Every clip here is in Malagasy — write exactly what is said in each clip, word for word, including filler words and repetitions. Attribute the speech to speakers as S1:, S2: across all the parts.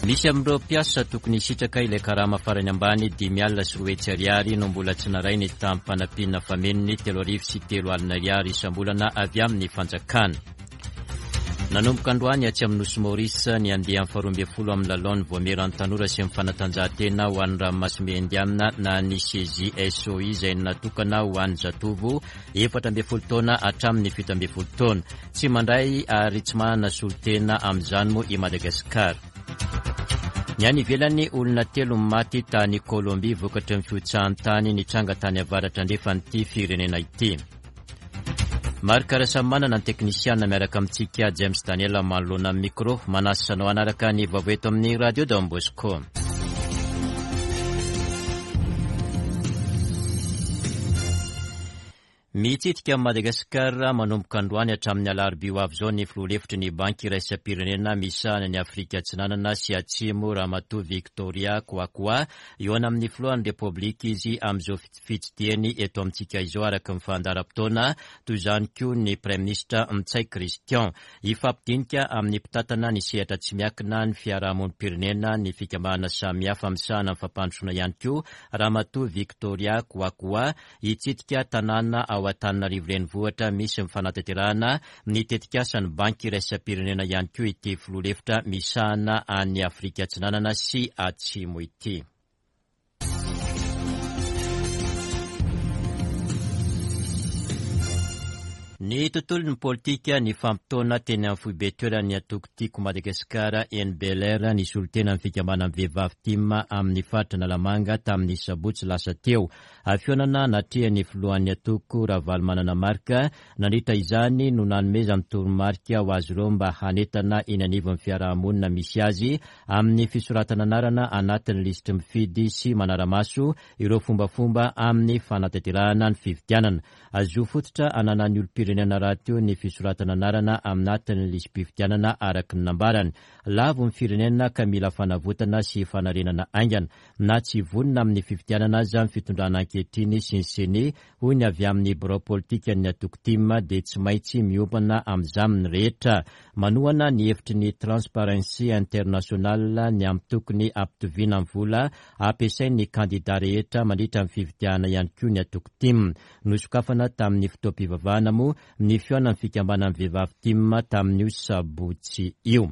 S1: Misy amin'ireo mpiasa tokony hisitraka ilay karama farany ambany dimy alina sy roa hetsy ariary no mbola tsy naray ny taham-panampiana famenony telo arivo sy telo alina ariary isam-bolana avy amin'ny fanjakana. Nanomboka androany atsy amin'ny Nosy Maurice ny andiany faharoa ambin'ny folo amin'ny lalaon'ny Vaomieran'ny tanora sy ny fanatanjahantena ho an'ny ranomasimbe Indiana na ny C J S O I izay natokana ho an'ny zatovo efatra ambin'ny folo taona hatramin'ny fito ambin'ny folo taona. Tsy mandray ary tsy manana solontena amin'izany moa i Madagasikara. Ny any ivelany, olona telo maty tany Kolombia vokatry ny fihotsahan'ny tany nitranga tany avaratra andrefan'ity firenena ity. Marc Rasamanana ny teknisiana miaraka amintsika, James Daniel manoloana amin'ny micro, manasa anao hanaraka ny vaovao eto amin'ny Radio Don Bosco. Mitsidika Madagasikara manomboka androany hatramin'ny alarobia ho avy izao ny filoha lefitry ny Banky iraisam-pirenena misahana ny Afrika Atsinanana sy Atsimo, Ramatoa Victoria Kwakwa. Eo amin'ny filohan'ny Repoblika izy amin'izao fitsidihany eto amintsika izao araka ny fandaharam-potoana, toy izany koa ny Praiminisitra Ntsay Christian. Hifampidinika amin'ny mpitantana ny sehatra tsy miankina, ny fiarahamonim-pirenena, ny fikambanana samihafa misahana ny fampandrosoana ihany koa Ramatoa Victoria Kwakwa. Hitsidika tanàna ao Antananarivo renivohitra misy ny fanatanterahana ny tetikasan'ny Banky iraisam-pirenena ihany koa ity filoha lefitra misahana any Afrika Atsinanana sy Atsimo ity. Ny tontolon'ny politika, ny fampitaona teny amin'ny foibe toeran'ny antoko Tiako Madagasikara eny Bel-Air ny solontena ny fikambanan'ny vehivavy TIM amin'ny faritra Analamanga tamin'ny sabotsy lasa teo. Fihaonana natrehan'ny filohan'ny antoko Ravalomanana Marc. Nandritra izany no nanomezany toromarika ho azy ireo mba hanentana eny anivon'ny fiarahamonina misy azy amin'ny fisoratana anarana anatin'ny lisitry mifidy sy manara-maso ireo fombafomba amin'ny fanatanterahana ny fifidianana. Zo fototra ananan'ny olom-pirenena rahateo ny fisoratana anarana anatin'ny lisi-pifidianana araka ny nambarany. Lavo ny firenena ka mila fanavotana sy fanarenana haingana. Na tsy vonona amin'ny fifidianana aza ny fitondrana ankehitriny sy ny CENI, hoy ny avy amin'ny birao politikan'ny antoko TIM, dia tsy maintsy miombona amin'izany ny rehetra. Manohana ny hevitry ny Transparency International ny amin'ny tokony hampitoviana ny vola ampiasain'ny kandida rehetra mandritra ny fifidianana ihany koa ny antoko TIM. Nosokafana tamin'ny fotoam-pivavahana moa ny fihaonan'ny fikambanan'ny vehivavy TIM tamin'io sabotsy io.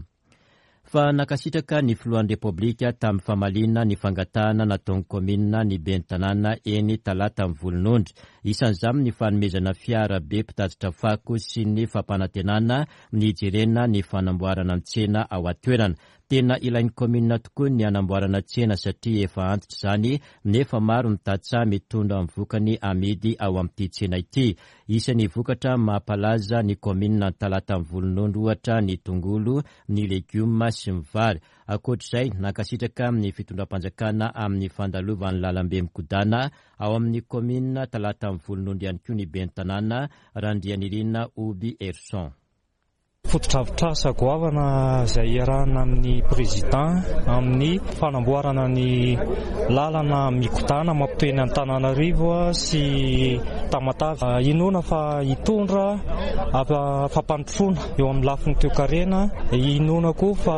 S1: Fa nankasitraka ny filohan'ny Repoblika tamin'ny famaliana ny fangatahana nataon'ny kaominina ny ben'ny tanàna eny Talata Volonondry. Isan'izany ny fanomezana fiara be mpitatitra fako sy ny fampanantenana ny hijerena ny fanamboarana ny tsena ao an-toerana. Tena ilain'ny kaominina tokoa ny hanamboarana tsena satria efa antitra izany, nefa maro ny tantsaha mitondra ny vokany amidy ao amin'ity tsena ity. Isan'ny vokatra mampalaza ny kaominina Talata Volonondry ohatra ny tongolo, ny legioma sy ny vary. Ankoatr'izay, nankasitraka ny fitondram-panjakana amin'ny fandalovan'ny lalambe mikodana ao amin'ny kaominina Talata Volonondry ihany koa ny ben'ny tanàna Randrianirina Oby Erson.
S2: Fotodrafitrasa goavana izay iarahana amin'ny président amin'ny fanamboarana ny lalana mikodana mampitohy ny Antananarivo sy Tamatave. Inoana fa hitondra fampandrosoana eo amin'ny lafiny toekarena, inoana koa fa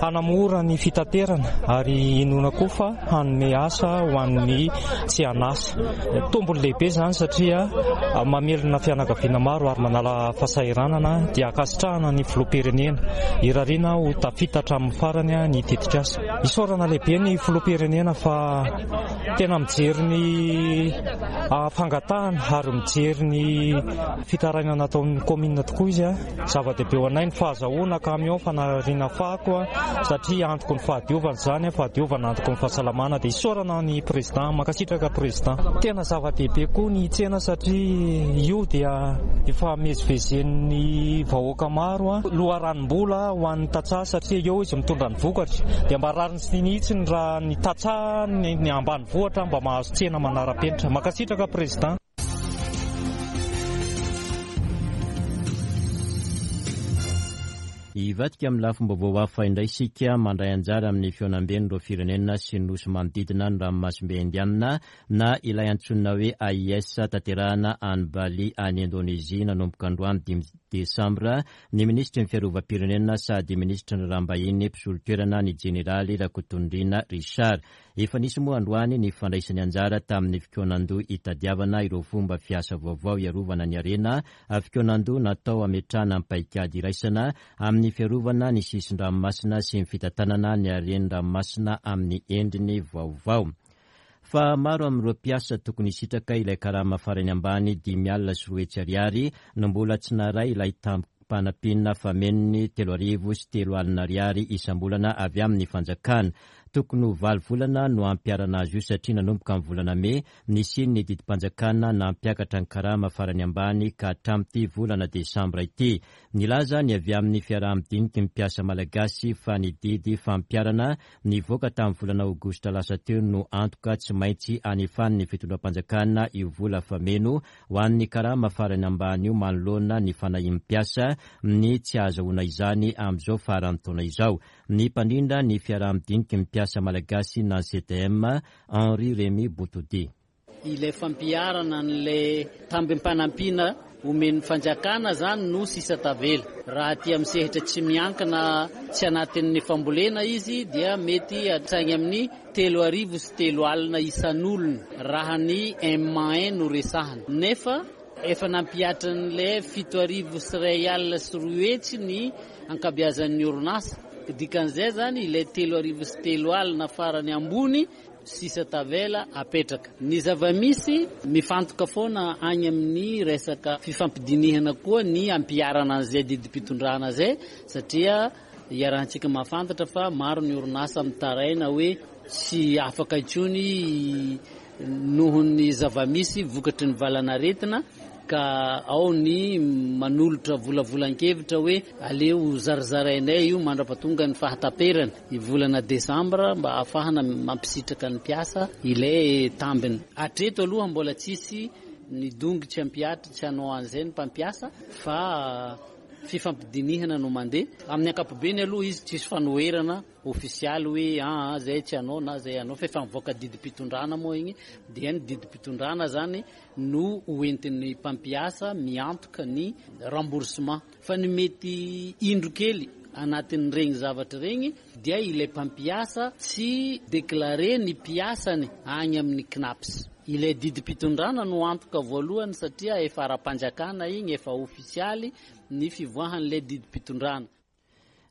S2: hanamora ny fitaterana ary inoana koa fa hanome asa ho an'ny tsy an'asa. Tombony lehibe izany satria mamelona fianakaviana maro ary manala fahasahiranana, dia ankasitrahana ny filoham-pirenena, irariana ho tafita hatramin'ny farany ny tetikasa. Isaorana lehibe ny filoham-pirenena fa tena mijery ny fangatahana ary mijery ny fitarainana ataon'ny kaominina tokoa izy. Zava-dehibe ho anay ny fahazahoana camion fanariana fako satria antoky ny fahadiovana izany, fahadiovana antoky ny fahasalamana, dia isaorana ny président, mankasitraka président. Tena zava-dehibe koa ny tsena satria io dia efa mivezivezen'ny vahoaka maro, loharanom-bola ho an'ny tantsaha satria eo izy mitondra ny vokatra, dia mba rariny sy hitsiny raha ny tantsaha ny ambanivohitra mba mahazo tsena manara-penitra. Mankasitraka président.
S1: Hivadika amin'ny lafim-baovao hafa indray isika. Mandray anjara amin'ny fihaonamben'ireo firenena sy ny nosy manodidina ny ranomasimbe Indianina na ilay antsoina hoe A I S, tanterahana any Bali any Indonezia nanomboka androany dimy desambra, ny minisitry ny fiarovam-pirenena sady minisitry ny raharaham-bahiny mpisolo toerana, ny jeneraly Rakotonirina Richard. Efa nisy moa androany ny fandraisany anjara tamin'ny fikaonandoha hitadiavana ireo fomba fiasa vaovao hiarovana ny harena, fikaonandoha natao ametrahana ny paikady iraisana amin'ny fiarovana ny sisin-dranomasina sy ny fitantanana ny haren-dranomasina amin'ny endriny vaovao. Fa maro amin'ireo mpiasa tokony hisitraka ilay karama farany ambany dimy alina sy roa hetsy ariary no mbola tsy naharay ilay tambim-panampiana famenony telo arivo sy telo alina ariary isam-bolana avy amin'ny fanjakana. Tokony ho valo volana no ampiharana azy io, satria nanomboka ny volana mey nisy ny didim-panjakana nampiakatra ny karama farany ambany ka hatramin'ity volana desambra ity. Nilaza ny avy amin'ny fiaraha-midiniky ny mpiasa malagasy fa ny didy fampiharana nivoaka tamin'ny volana aogositra lasa teo no antoka tsy maintsy anefan'ny fitondram-panjakana io vola fameno ho an'ny karama farany ambany io, manoloana ny fanahian'ny mpiasa ny tsy ahazahoana izany amin'izao faran'ny taona izao. Ny mpandrindra ny fiaraha-midiniky ny mpiasa malagasy na C T M, Henri Remy Botodi.
S3: Ilay fampiharana n'lay tambim-panampiana omen'ny fanjakana zany no sisa tavela. Raha ty amin'ny sehitra tsy miankina, tsy anatin'ny fambolena izy, dia mety hatrany amin'ny telo arivo sy telo alina isan'olona raha ny M un no resahana, nefa efa nampihatra n'lay fito arivo sy ray alina sy roa hetsy ny ankabeazan'ny orinasa. Dikan'izay zany, ilay telo arivo sy telo alina farany ambony sisa tavela apetraka. Ny zava-misy, mifantoka foana any amin'ny resaka fifampidinihana koa ny ampiharana an'izay didim-pitondrana zay, satria iarahantsika mahafantatra fa maro ny orinasa mitaraina hoe tsy afaka intsony noho ny zava-misy vokatry ny valanaretina, ka ao ny manolotra volavolan-kevitra hoe aleo zarazarainay io mandra-pahatonga ny fahataperany ny volana desambra mba ahafahana mampisitraka ny mpiasa ilay tambiny. Hatreto aloha mbola tsisy ny dongy tsy ampihatra, tsy hanao an'izay ny mpampiasa, fa fifampidinihana no mandeha. Amin'ny ankapobeny aloha izy tsisy fanoherana ofisialy hoe aa zay tsy hanao na zay hanao, fa efa mivoaka didim-pitondrana moa igny, dia ny didim-pitondrana zany no hoentin'ny mpampiasa miantoka ny remboursement. Fa ny mety indro kely anatin'regny zavatra regny dia ilay mpampiasa tsy déclaré ny mpiasany agny amin'ny CNaPS. Ilay didim-pitondrana no antoka voalohany, satria efa ara-panjakana igny, efa ofisialy ny fivoahan'ilay didim-pitondrana.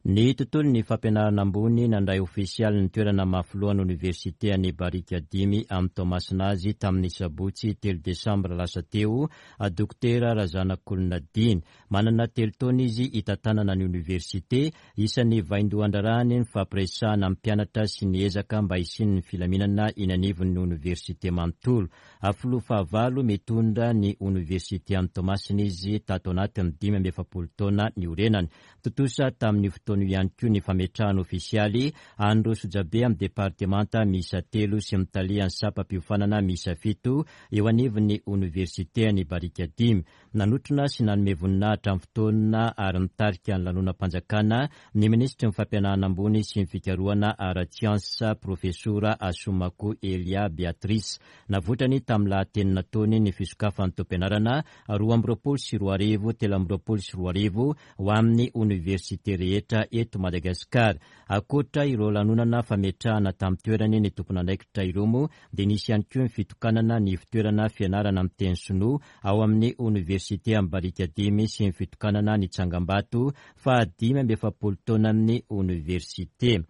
S1: Ny tontolo ny fampianarana ambony: nandray ofisialy ny toerana maha filohan'ny oniversite any Barikadimy amin'ny Toamasina azy tamin'ny sabotsy telo desambra lasa teo, dokotera Razanakolona Diny. Manana telo taona izy hitantanana ny oniversite. Isan'ny vaindohan-draharahany ny fampiresahana amin'ny mpianatra sy ny ezaka mba hisian'ny filaminana eny anivon'ny oniversite manontolo. Filoha fahavalo mitondra ny oniversite any Toamasina izy tato anatin'ny dimy amby efapolo taona niorenany. Tontosa tamin'ny fotoana io ihany koa ny fametrahana ofisialy an'ireo sojabe amin'ny departemanta miisa telo sy mitalihan'ny sampam-piofanana miisa fito eo anivon'ny oniversite ny Barikadimy. Nanotrona sy nanome voninahitra amin'ny fotoana ary nitarika ny lanonam-panjakana ny minisitry ny fampianarana ambony sy ny fikarohana ara-tsiansa, profesora Assoumacou Elia Béatrice. Navoitrany tamin'ny lahateny nataony ny fisokafan'ny taom-pianarana roa amby roapolo sy roa arivo telo amby roapolo sy roa arivo ho amin'ny oniversite rehetra eto Madagasikara. Ankoatra ireo lanonana fametrahana tamin'ny toerany ny tompon'andraikitra ireo moa, dia nisy ihany koa ny fitokanana ny fitoerana fianarana amin'ny teny sinoa ao amin'ny oniversite amin'ny Barikadimy sy ny fitokanana ny tsangambato fa dimy amby efapolo taona amin'ny oniversite.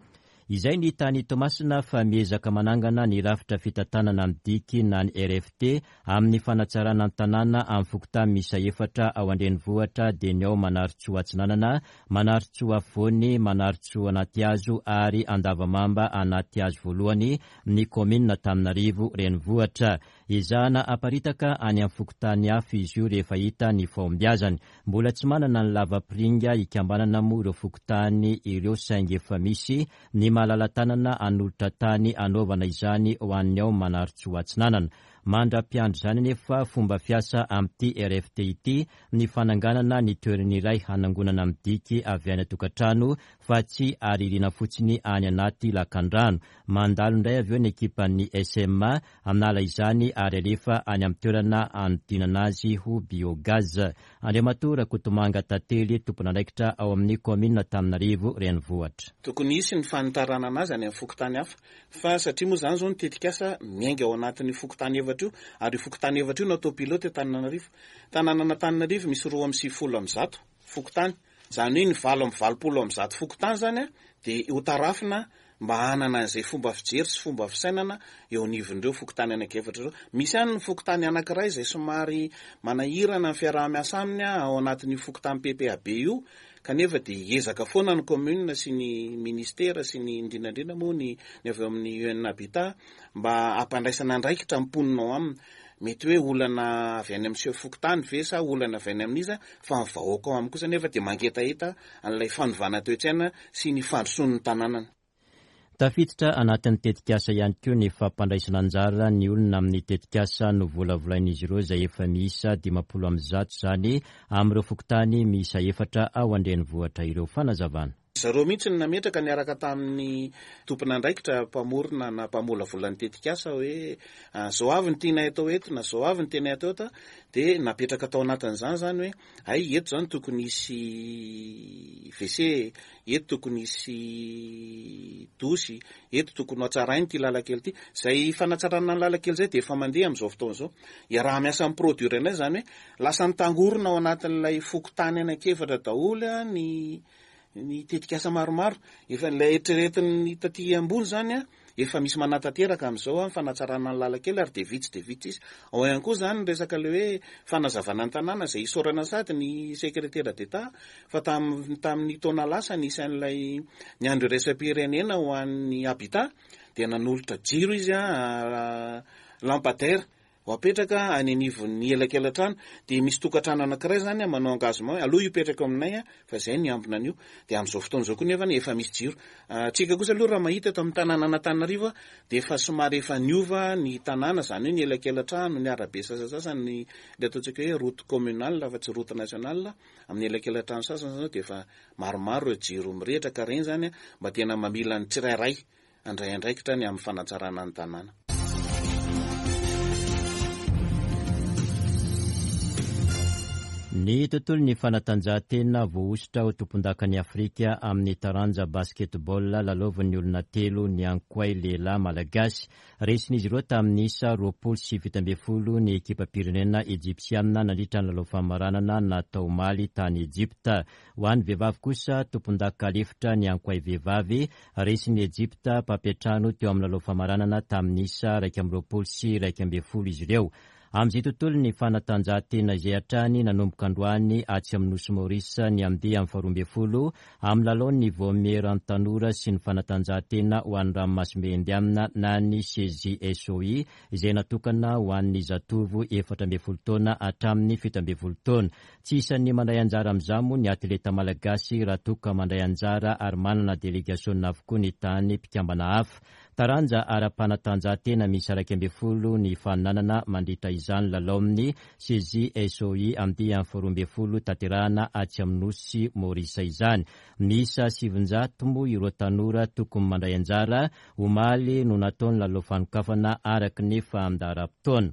S1: Izay ny tany Toamasina. Fa miezaka manangana ny rafitra fitantanana ny diky na ny R F T amin'ny fanatsarana ny tanàna amin'ny fokontany miisa efatra ao an-drenivohitra, dia ny ao Manarintsoa Atsinanana, Manarintsoa Afovoany, Manarintsoa Anatihazo ary Andavamamba Anatihazo voalohany, ny kaominina Antananarivo renivohitra. Ezahana aparitaka any amin'ny fokontany hafa izy io rehefa hita ny fahombiazany. Mbola tsy manana ny lavapiringa ikambanana moa ireo fokontany ireo, saingy efa misy ny malala-tanana hanolotra tany hanaovana izany ho an'ny ao Manarintsoa Atsinanana. Mandra-piandry izany anefa, fomba fiasa amin'ity R F T ity ny fananganana ny toerana iray hanangonana ny diky avy any an-tokantrano fa tsy aririna fotsiny any anaty lakandrano. Mandalo indray avy eo ny ekipan'ny S M A hanala izany ary alefa any amin'ny toerana anodinana azy ho biogaz. Andriamatoa Rakotomanga Tantely, tompon'andraikitra ao amin'ny kaominina Antananarivo Renivohitra.
S4: Tokony hisy ny fanitarana anazy any amin'ny fokontany hafa, fa satria moa zany zao ny tetikasa miainga ao anatin'ny fokontany efatra io, ary io fokontany efatra io no atao pilote Antananarivo. Tanànan'Antananarivo misy roa amby sivifolo amby zato fokontany, zany hoe ny valo amby valopolo amby zato fokontany zany a de ho tarafina mba hanana an'izay fomba fijery sy fomba fisainana eo anivon'ireo fokontany anankiefatra ireo. Misy any ny fokontany anankiray izay somary manahirana ny fiaraha-miasa aminy a ao anatin'io fokontany P P A B io, kanefa de hiezaka foana ny commune sy ny ministera sy ny indrindrandrindra moa ny ny avy eo amin'ny U N Habitat mba hampandraisana andraikitra ny mponina ao aminy. Mety hoe olana avy any amin'ny chef fokontany ve sa olana avy any amin'iza, fa ny vahoaka ao aminy kosa nefa de mangetaheta an'ilay fanovana toe-tsaina sy ny fandrosoan'ny tanànana.
S1: Tafiditra anatin'ny tetikasa ihany koa ny fampandraisana anjara ny olona amin'ny tetikasa no volavolain'izy ireo, izay efa miisa dimampolo amby zato izany amin'ireo fokontany miisa efatra ao an-drenivohitra ireo. Fanazavana.
S4: Zareo mihitsy ny nametraka niaraka tamin'ny tompon'andraikitra mpamorona na mpamolavola ny tetikasa hoe zao avy ny tianay atao eto na zao avy ny tianay atao eto, de napetraka tao anatin'izany zany hoe ay, eto zany tokony hisy W C, eto tokony hisy douche, eto tokony ho hatsarainy ty lalakely ity. Zay fanatsarana ny lalakely zay de efa mandeha am'izao fotoana zao, iaraha-miasa amin'ny Produir indray, zany hoe lasa mitangorona ao anatin'ilay fokontany anankiefatra daholo a ny ny tetikasa maromaro. Efa ilay eritreretin'ny taty ambony zany a efa misy manatanteraka am'izao a fanatsarana ny lalakely, ary de vitsy de vitsy izy ao ihany koa zany ny resaka le hoe fanazavana ny tanàna, zay isaorana sady ny secrétaire d'État fa tam tamin'ny taona lasa nisy an'ilay ny andro iraisam-pirenena ho an'ny habitat, de nanolotra jiro izy a lampadaire ho apetraka any anivon'ny elakela-trano, de misy tokantrano anankiray zany a manao engagement aloha io aminay a fa zay ny ambina an'io, de am'izao fotoana zao koa nefa efa misy jiro. Tsika kosa aloha raha mahita eto amin'ny tanànan'Antananarivo a de efa somary efa niova ny tanàna, zany hoe ny elakela-trano, ny arabe sasasasany, ny le ataontsika hoe route communale fa tsy route nationale, amin'ny elakela-trano sasany zao de efa maromaro ireo jiro mirehitra, ka reny zany a mba tena mamila ny tsirairay andray andraikitra ny amin'ny fanatsarana ny tanàna.
S1: Ny tontolo ny fanatanjahantena: voahosotra ho tompon-dakan'ny Afrika amin'ny taranja basketball lalaovin'ny olona telo ny Ankoay lehilahy malagasy. Resin'izy ireo tamin'ny isa roapolo sy fito ambin'ny folo ny ekipa-pirenena ejipsiana nandritra ny lalao famaranana natao omaly tany Ejipta. Ho an'ny vehivavy kosa, tompon-daka lefitra ny Ankoay vehivavy, resin'ny Ejipta mpampiantrano teo amin'ny lalao famaranana tamin'ny isa iraika amby roapolo sy iraika ambin'ny folo izy ireo. Amin'izay tontolo ny fanatanjahantena izay hatrany, nanomboka androany atsy amin'ny nosy Maurice ny andiany amin'ny faharoa ambin'ny folo amin'ny lalaon'ny vaomieran'ny tanora sy ny fanatanjahantena ho an'ny ranomasimbe Indiana na ny C J S O I, izay natokana ho an'ny zatovo efatra ambin'ny folo taona hatramin'ny fito ambin'ny folo taona. Tsy isan'ny mandray anjara amin'izany moa ny atleta malagasy raha toka mandray anjara ary manana délégation avokoa ny tany mpikambana hafa. Taranja ara-panatanjahantena misy iraika ambin'ny folo ny faninanana mandritra izany lalao amin'ny C J S O I andiany faharoa ambin'ny folo tanterahana atsy amin'ny nosy Maurice izany. Miisa sivinjato moa ireo tanora tokony mandray anjara. Omaly no natao ny lalao fanokafana araka ny fandaharam-potoana.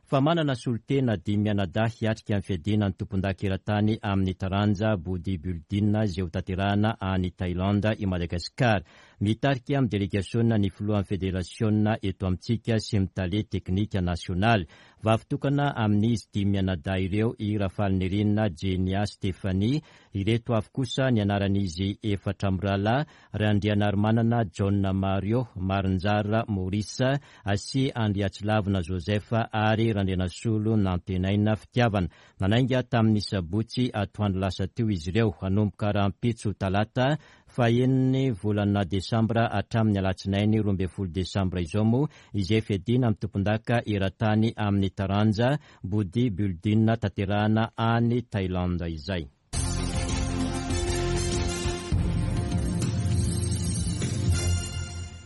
S1: Fa manana solontena dimy mianadahy hiatrika ny fiadiana ny tompon-daka eran-tany amin'ny taranja bodybuilding izay ho tanterahana any Thailande i Madagasikara. Mitarika amin'ny délégation ny filohan'ny fédération eto amintsika sy mitale teknika nasionaly. Vavitokana amin'izy dimy mianadahy ireo i Rafalinirina Jenia Stéphanie. Ireto avy kosa ny anaran'izy efatra mirahalahy: Randrianarimanana John Mario, Marinjara Maurice sy Andriatsilavina Joseph ary Randrianasolo Nantenaina Fitiavana. Nanainga tamin'ny sabotsy atoandro lasa teo izy ireo. Hanomboka rahampitso talata faheniny volana desambra hatramin'ny alatsinainy roa ambin'ny folo desambra izao moa izay fiadiana amin'ny tompon-daka eran-tany amin'ny taranja bodybuilding tanterahana any Thailande izay.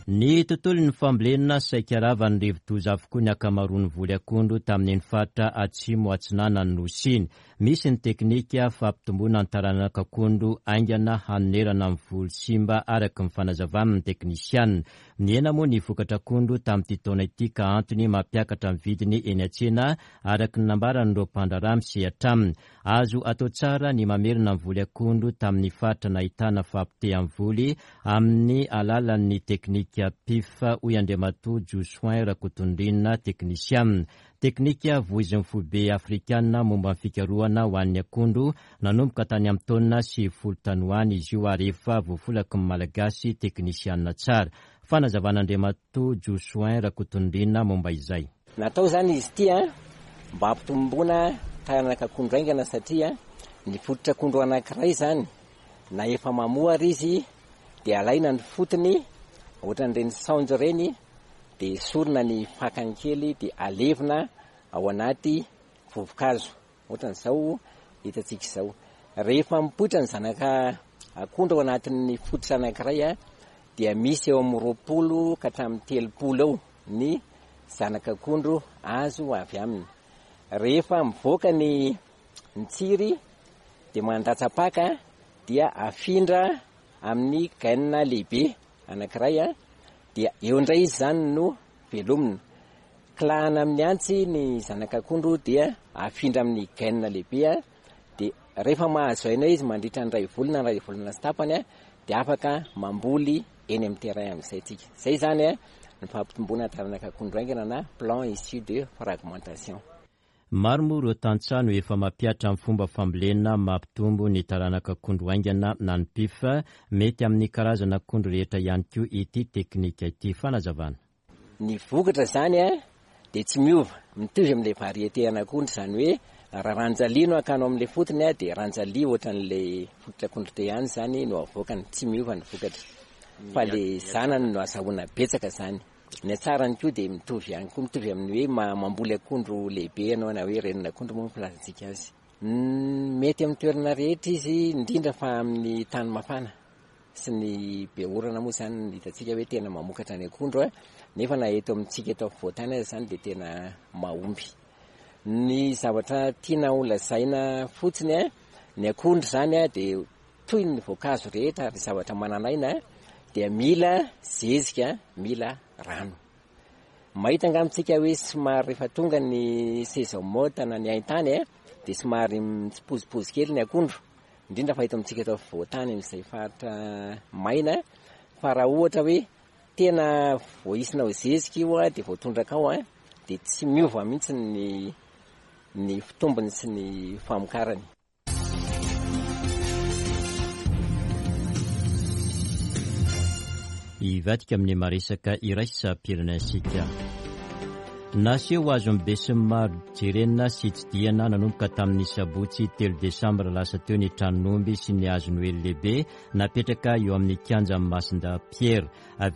S1: Ny tontolon'ny fambolena saika ravan'ny rivodoza avokoa ny ankamaroan'ny voly akondro tamin'iny faritra atsimo atsinanan'ny Nosy iny. Misy ny teknika fampitomboana ny taranaka akondro haingana hanonerana ny voly simba araka ny fanazavan'ny teknisianina. Nihena moa ny vokatra akondro tamin'ity taona ity ka antony mampiakatra ny vidiny eny an-tsena araka ny nambaran'ireo mpandraharaha misehatra aminy. Azo atao tsara ny mamerina ny voly akondro tamin'ny faritra nahitana fahapotehan'ny voly amin'ny alalan'ny teknika P I F, hoy Andriamatoa Josoin Rakotondrina, teknisianina. Teknika voizin'ny foibe afrikanina momba ny fikarohana ho an'ny akondro nanomboka tany amin'ny taona sivifolo tany ho any izy io ary efa voafolaky ny Malagasy teknisianina tsara. Fanazavan'Andriamatoa Josoin Rakotondrina momba izay.
S5: Natao izany izy ity mba hampitomboana taranaka akondro haingana satria ny fototra akondro anankiray izany na efa mamoa ary izy dia alaina ny fotony ohatran'ireny saonjo ireny dia esorina ny fakany kely dia alevina ao anaty vovokazo ohatran'izao hitantsika izao. Rehefa mipoitra ny zanaka akondro ao anatin'ny fototra anankiray dia misy eo amin'ny roapolo ka hatramin'ny telopolo eo ny zanaka akondro azo avy aminy. Rehefa mivoaka ny ny tsiry dia mandatsa-paka dia afindra amin'ny gaina lehibe anankiray dia eo indray izy izany no velomina. Kilahana amin'ny antsy ny zanaka akondro dia afindra amin'ny gaina lehibe dia rehefa mahazo aina izy mandritra ny iray volana na iray volana sy tapany dia afaka mamboly eny amin'ny terrain amin'izay tsika. Izay izany ny fampitomboana taranaka akondro haingana na plan issu de fragmentation.
S1: Maro moa ireo tantsaha no efa mampihatra ny fomba fambolena mampitombo ny taranaka akondro haingana na ny P I F. Mety amin'ny karazana akondro rehetra ihany koa ity teknika ity. Fanazavana.
S5: Ny vokatra izany dia tsy miova, mitovy amin'ilay variété an'akondro, izany hoe raha ranjalia no akanao amin'ilay fotony dia ranjalia ohatran'ilay fototra akondro teo ihany izany no avoakany, tsy miova ny vokatra. Fa ilay zanany no azahoana betsaka izany. Ny hatsarany koa dia mitovy ihany koa, mitovy amin'ny hoe ma-, mamboly akondro lehibe ianao na hoe renin'akondro moa no filazantsika azy. Mety amin'ny toerana rehetra izy, indrindra fa amin'ny tany mafana sy ny be orana moa izany no hitantsika hoe tena mamokatra ny akondro, nefa na eto amintsika eto afovoan-tany aza izany dia tena mahomby. Ny zavatra tiana ho lazaina fotsiny, ny akondro izany dia toy ny voankazo rehetra ary zavatra manan'aina dia mila zezika, mila rano. Mahita angamba tsika hoe somary rehefa tonga ny saison morte na ny haintany dia somary mitsipozipozy kely ny akondro, indrindra fa eto amintsika eto afovoan-tany amin'izay faritra maina. Fa raha ohatra hoe tena voahisinao zezika io dia voatondraka ao dia tsy miova mihitsy ny, ny fitombony sy ny famokarany.
S1: Hivadika amin'ny maresaka iraisam-pirenentsika. Naseho azon'ny besinimaro jerena sy tsidihana nanomboka tamin'ny sabotsy telo desambra lasa teo ny tranon'omby sy ny hazo noely lehibe napetraka eo amin'ny kianjan'i Masindahy Pierre.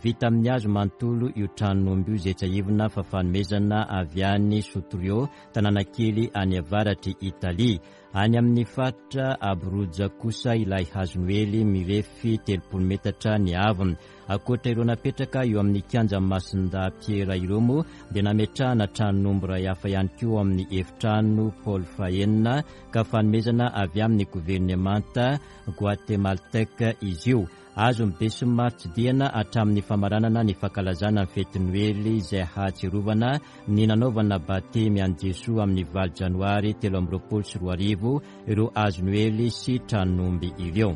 S1: Vita amin'ny hazo manontolo io tranon'omby io izay tsiahivina fa fanomezana avy any Sutrio, tanàna kely any avaratr'i Italia. Any amin'ny faritra Abruzzo kosa ilay hazo noely mirefy telopolo metatra ny haavony. Ankoatra ireo napetraka eo amin'ny kianjan'i Masindahy Pierre ireo moa dia nametrahana tranon'omby iray hafa ihany koa amin'ny efitrano Paul fahenina ka fanomezana avy amin'ny governemanta guatemaltèque izy io. Azon'ny besinimaro tsidihana hatramin'ny famaranana ny fankalazana ny fety noely izay hahatsiarovana ny nanaovana batemy an'i Jesoa amin'ny valo janoary telo amby roapolo sy roa arivo ireo hazo noely sy tranon'omby ireo.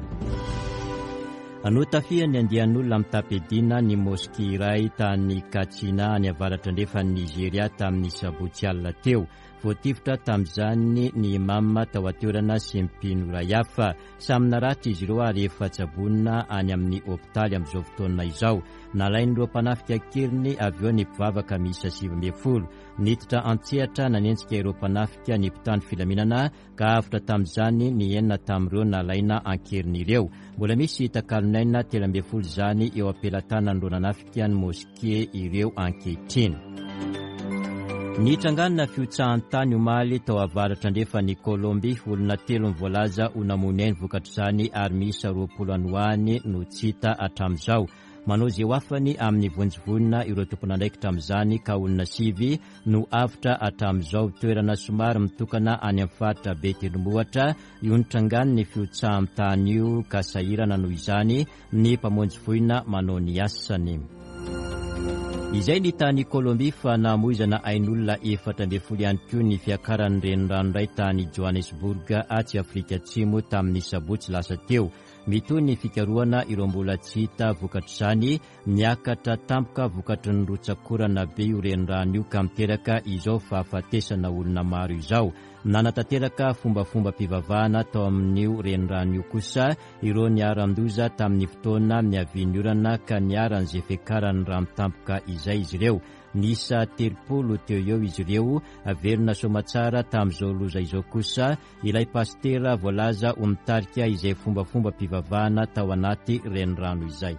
S1: Notafihan'ny andian'olona mitam-piadiana ny moske iray tany Katsina any avaratra andrefan'i Nigeria tamin'ny sabotsy alina teo. Voatifitra tamin'izany ny imam tao an-toerana sy ny mpino iray hafa. Samy naratra izy ireo ary efa tsaboina any amin'ny hopitaly amin'izao fotoana izao. Nalain'ireo mpanafika an-keriny avy eo ny mpivavaka miisa sivy ambin'ny folo. Niditra an-tsehatra nanenjika ireo mpanafika ny mpitandro filaminana ka avotra tamin'izany ny enina tamin'ireo nalaina an-keriny ireo. Mbola misy takalon'aina telo ambin'ny folo izany eo am-pelatanan'ireo nanafika ny moske ireo ankehitriny. Nitrangana fihotsahan-tany omaly tao avaratra andrefan'i Kolombia, olona telo no voalaza ho namoy ny ainy vokatr'izany ary miisa roapolo any ho any no tsy hita hatramin'izao. Manao izay ho afany amin'ny vonjy voina ireo tompon'andraikitra amin'izany ka olona sivy no avotra hatramin'izao. Toerana somary mitokana any amin'ny faritra be tendrombohitra io nitrangany ny fihotsahan'ny tany io ka sahirana noho izany ny mpamonjy voina manao ny asany. Izay ny tany Kolombia fa namoizana ain'olona efatra ambin'ny folo ihany koa ny fiakaran'ny renirano iray tany Johannesburg atsy Afrika Atsimo tamin'ny sabotsy lasa teo. Mitohy ny fikarohana ireo mbola tsy hita vokatr'izany. Niakatra tampoka vokatry ny rotsakorana be io renirano io ka miteraka izao fahafatesana olona maro izao. Nanatanteraka fombafomba-pivavahana tao amin'io renirano io kosa ireo niharan-doza tamin'ny fotoana niavian'ny orana ka niharan'izay fiakaran'ny rano tampoka izay izy ireo. Niisa telopolo teo eo izy ireo. Velona soamatsara tamin'izao loza izao kosa ilay pastera voalaza ho mitarika izay fombafomba-pivavahana tao anaty renirano izay.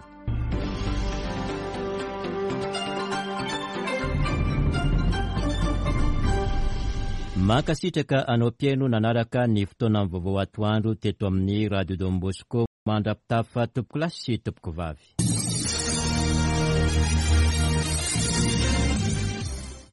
S1: Mankasitraka anao mpihaino nanaraka ny fotoana vaovao atoandro teto amin'ny Radio Don Bosco. Mandra-pitafa tompokolahy sy tompokovavy.